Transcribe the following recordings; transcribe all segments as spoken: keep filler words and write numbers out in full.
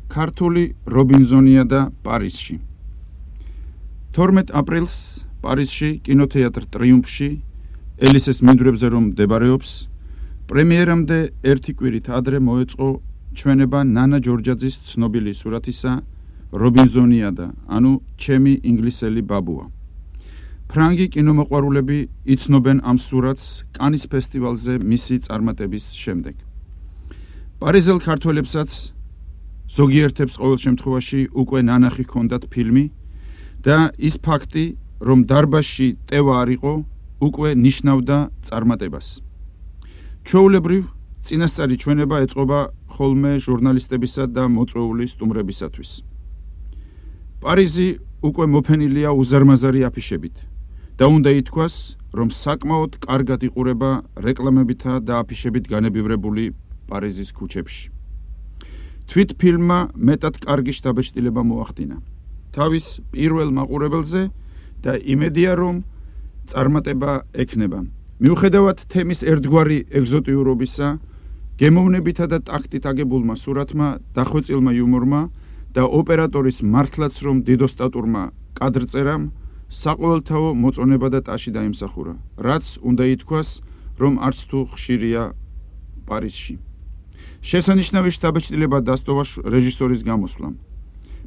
ქართული რობინზონია და პარიზში. თორმეტ აპრილს პარიზში კინოთეატრ ტრიუმფში ელისეს მინდვრებზე რომ მდებარეობს, პრემიერამდე ერთი კვირით ადრე მოეწყო ჩვენება ნანა ჯორჯაძის ცნობილი სურათისა რობინზონიადა, ანუ ჩემი ინგლისელი ბაბუა. ფრანგი კინომოყვარულები იცნობენ ამ სურათს კანის ფესტივალზე მისი წარმატების შემდეგ. პარიზელ ქართველებსაც ზოგიერთებს ყოველ შემთხვევაში უკვე ნანახი ჰქონდათ ფილმი და ის ფაქტი, რომ დარბაზში ტევა არ იყო, უკვე ნიშნავდა წარმატებას. ჩვეულებრივ წინასწარი ჩვენება ეწყობა ხოლმე ჟურნალისტებისა და მოწვეული სტუმრებისათვის. პარიზი უკვე მოფენილია უზარმაზარი აფიშებით და უნდა ითქვას, რომ საკმაოდ კარგად იყურება რეკლამებითა და აფიშებით განებივრებული პარიზის ქუჩებში. თვით ფილმმა მეტად კარგი შთაბეჭდილება მოახდინა თავის პირველ მაყურებელზე და იმედია, რომ წარმატება ექნება. მიუხედავად თემის ერთგვარი ეგზოტიურობისა, გემოვნებითა და ტაქტით აგებულმა სურათმა, დახვეწილმა იუმორმა და ოპერატორის მართლაც რომ დიდოსტატურმა კადრწერამ საყოველთაო მოწონება და ტაში დაიმსახურა, რაც უნდა ითქვას, რომ არც თუ ხშირია პარიზში. შესანიშნავი შთაბეჭდილება დასტოვა რეჟისორის გამოსვლამ.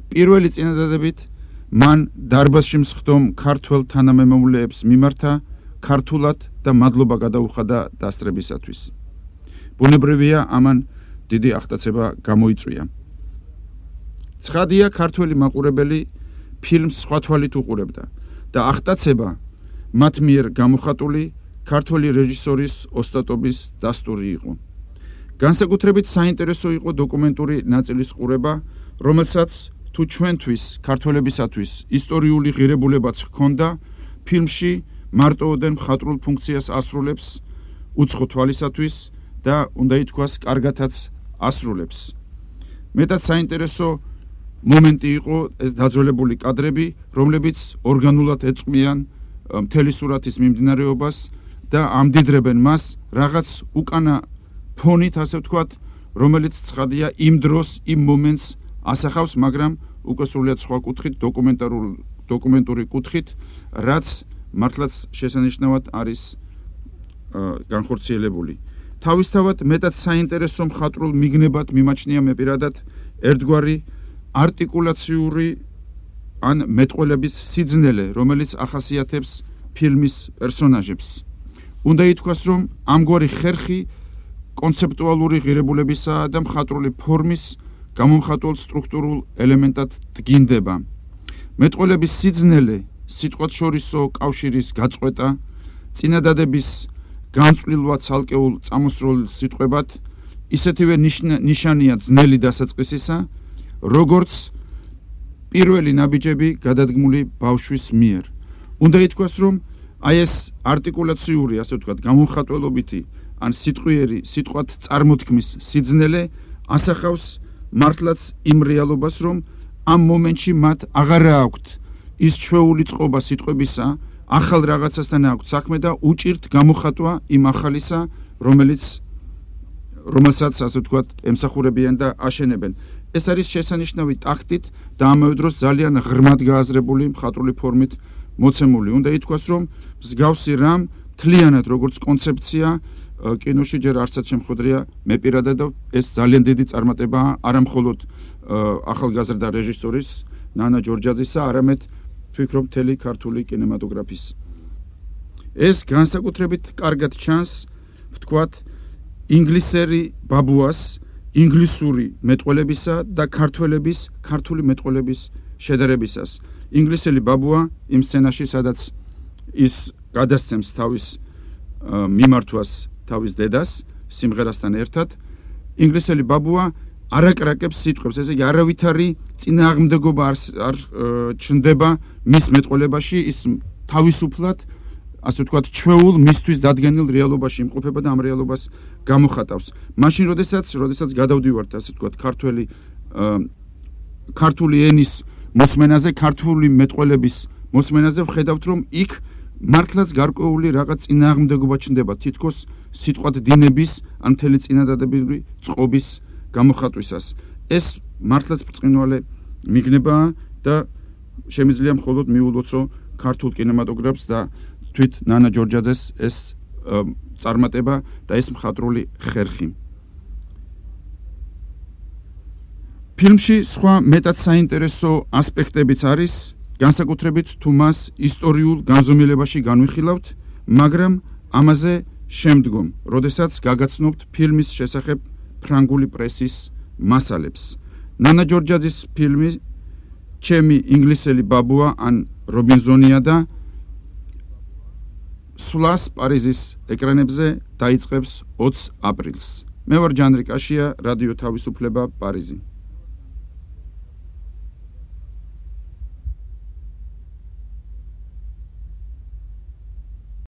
პირველი წინადადებით მან დარბაზში მსხდომ ქართველ თანამემამულეებს მიმართა ქართულად და მადლობა გადაუხადა დასწრებისათვის. ბუნებრივია, ამან დიდი აღტაცება გამოიწვია. ცხადია, ქართველი მაყურებელი ფილმს სხვა თვალით უყურებდა და აღტაცება მათ მიერ გამოხატული ქართველი რეჟისორის ოსტატობის დასტური იყო. განსაკუთრებით საინტერესო იყო დოკუმენტური ნაწილის ყურება, რომელსაც თუ ჩვენთვის, ქართველებისათვის ისტორიული ღირებულებაც ჰქონდა, ფილმში მარტოოდენ მხატვრულ ფუნქციას ასრულებს უცხო თვალისათვის და უნდა ითქვას, კარგათაც ასრულებს. მეტად საინტერესო მომენტი იყო ეს დაძველებული კადრები, რომლებიც ორგანულად ეწყმიან მთელი სურათის მიმდინარეობას და ამდიდრებენ მას რაღაც უკანა ფონით, ასე ვთქვათ, რომელიც ცხადია იმ დროს, იმ მომენტს ასახავს, მაგრამ უკვე სრულიად სხვა კუთხით, დოკუმენტური კუთხით, რაც მართლაც შესანიშნავად არის განხორციელებული. თავისთავად მეტად საინტერესო მხატვრულ მიგნებად მიმაჩნია მე პირადად ერთგვარი არტიკულაციური ან მეტყველების სიძნელე, რომელიც ახასიათებს ფილმის პერსონაჟებს. უნდა ითქვას, რომ ამგვარი ხერხი კონცეპტუალური ღირებულებისა და მხატვრული ფორმის გამომხატველ სტრუქტურულ ელემენტად დგინდება. მეტყველების სიძნელე, სიტყვათ შორისო კავშირის გაწყვეტა, წინადადების განწვლილვა ცალკეულ წამოსწროილ სიტყვებად, ისეთივე ნიშანია ძნელი დასაწყისისა, როგორც პირველი ნაბიჯები გადადგმული ბავშვის მიერ. უნდა ითქვას, რომ აი ეს არტიკულაციური, ასე ვთქვათ, გამომხატველობითი ან სიტყვიერი, სიტყვათ წარმოთქმის სიძნელე ასახავს მართლაც იმ რეალობას, რომ ამ მომენტში მათ აღარა აქვთ ის ჩვეული წყობა სიტყვებისა, ახალ რაღაცასთან აქვთ საქმე და უჭირთ გამოხატვა იმ ახალისა, რომელიც რომელსაც, ასე ვთქვათ, ემსახურებიან და აშენებენ. ეს არის შესანიშნავი ტაქტით და ამავე დროს ძალიან ღრმად გააზრებული მხატვრული ფორმით მოცემული. უნდა ითქვას, რომ მსგავსი რამ მთლიანად როგორც კონცეფცია კინოში ჯერ არცად შემხვედრია მე პირადად და ეს ძალიან დიდი წარმატებაა არა მხოლოდ ახალგაზრდა რეჟისორის ნანა ჯორჯაძისა, არამედ ვფიქრობ მთელი ქართული კინემატოგრაფის. ეს განსაკუთრებით კარგად ჩანს, ვთქვათ, ინგლისელი ბაბუას, ინგლისური მეტყველებისა და ქართველების, ქართული მეტყველების შედარებისას. ინგლისელი ბაბუა იმ სცენაში, სადაც ის გადასცემს თავის მიმართვას თავის დედას სიმღერასთან ერთად, ინგლისელი ბაბუა არაკრაკებს სიტყვებს, ესე იგი არავითარი წინააღმდეგობა არ ჩნდება მის მეტყველებაში, ის თავისუფლად, ასე ვთქვათ, ჩვეულ მისთვის დადგენილ რეალობაში იმყოფება და ამ რეალობას გამოხატავს. მაშინ, როდესაც, როდესაც გადავდივართ, ასე ვთქვათ, ქართველი ქართული ენის მოსმენაზე, ქართული მეტყველების მოსმენაზე, ვხედავთ, რომ იქ მართლაც გარკვეული რაღაც წინააღმდეგობა ჩნდება, თითქოს სიტყვათ დინების ან მთელი წინადადებრივი წყობის გამოხატვისას. ეს მართლაც ბრწყინვალე მიგნებაა და შემიძლია მხოლოდ მიულოცო ქართულ კინემატოგრაფს და თვით ნანა ჯორჯაძეს ეს წარმატება და ეს მხატვრული ხერხი. ფილმში სხვა მეტად საინტერესო ასპექტებიც არის, განსაკუთრებით თუ მას ისტორიულ განზომილებაში განვიხილავთ, მაგრამ ამაზე შემდგომ, როდესაც გაგაცნობთ ფილმის შესახებ ფრანგული პრესის მასალებს. ნანა ჯორჯაძის ფილმი ჩემი ინგლისელი ბაბუა ან რობინზონია და სვლას პარიზის ეკრანებზე დაიწყებს ოცს აპრილს. მე ვარ ჯანრი კაშია, რადიო თავისუფლება, პარიზი.